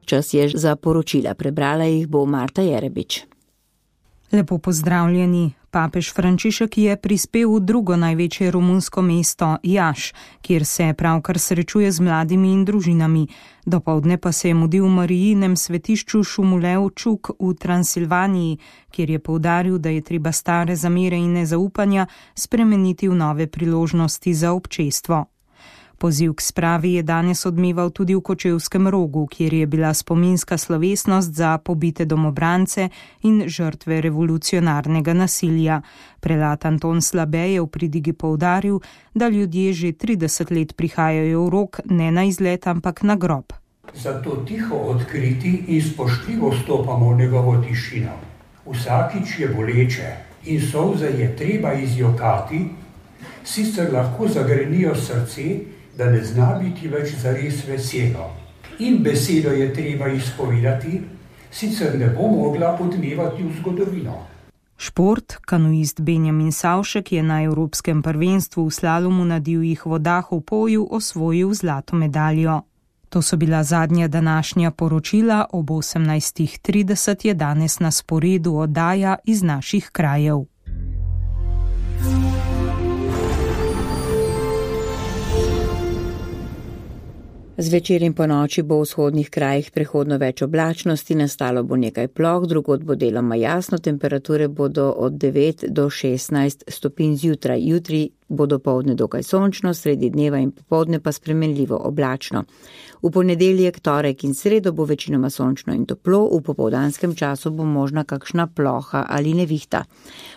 Čas je za poročila, prebrala jih bo Marta Jerebič. Lepo pozdravljeni. Papež Frančišek je prispel v drugo največje romunsko mesto, Jaš, kjer se pravkar srečuje z mladimi in družinami. Dopoldne pa se je mudil v Marijinem svetišču Šumulev Čuk v Transilvaniji, kjer je poudaril, da je treba stare zamere in nezaupanja spremeniti v nove priložnosti za občestvo. Poziv k spravi je danes odmeval tudi v Kočevskem Rogu, kjer je bila spominska slovesnost za pobite domobrance in žrtve revolucionarnega nasilja. Prelat Anton Slabe je v pridigi poudaril, da ljudje že 30 let prihajajo v Rog ne na izlet, ampak na grob. Zato tiho odkriti in spoštljivo stopamo v njegovo tišino. Vsakič je boleče in solze je treba izjokati, sicer lahko zagrenijo srce, da ne zna biti več zares veselo. In besedo je treba izpovedati, sicer ne bo mogla odmevati v zgodovino. Šport, kanuist Benjamin Savšek je na Evropskem prvenstvu v slalomu na divjih vodah v Poju osvojil zlato medaljo. To so bila zadnja današnja poročila, ob 18:30 je danes na sporedu oddaja iz naših krajev. Zvečer in po noči bo v vzhodnih krajih prehodno več oblačnosti, nastalo bo nekaj ploh, drugod bo deloma jasno, temperature bodo od 9 do 16 stopinj zjutraj. Jutri bo dopoldne dokaj sončno, sredi dneva in popoldne pa spremenljivo oblačno. V ponedeljek, torek in sredo bo večinoma sončno in toplo, v popoldanskem času bo možna kakšna ploha ali nevihta.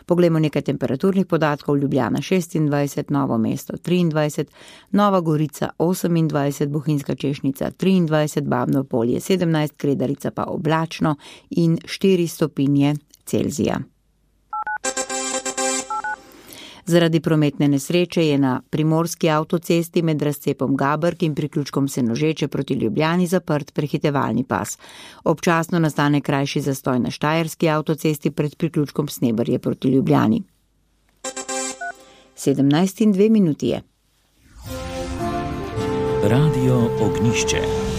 Poglejmo nekaj temperaturnih podatkov. Ljubljana 26, Novo mesto 23, Nova Gorica 28, Bohinjska Češnica 23, Babno Polje 17, Kredarica pa oblačno in 4 stopinje Celzija. Zaradi prometne nesreče je na primorski avtocesti med razcepom Gabrk in priključkom Senožeče proti Ljubljani zaprt prehitevalni pas. Občasno nastane krajši zastoj na štajerski avtocesti pred priključkom Sneberje proti Ljubljani. 17:02 je. Radio Ognjišče.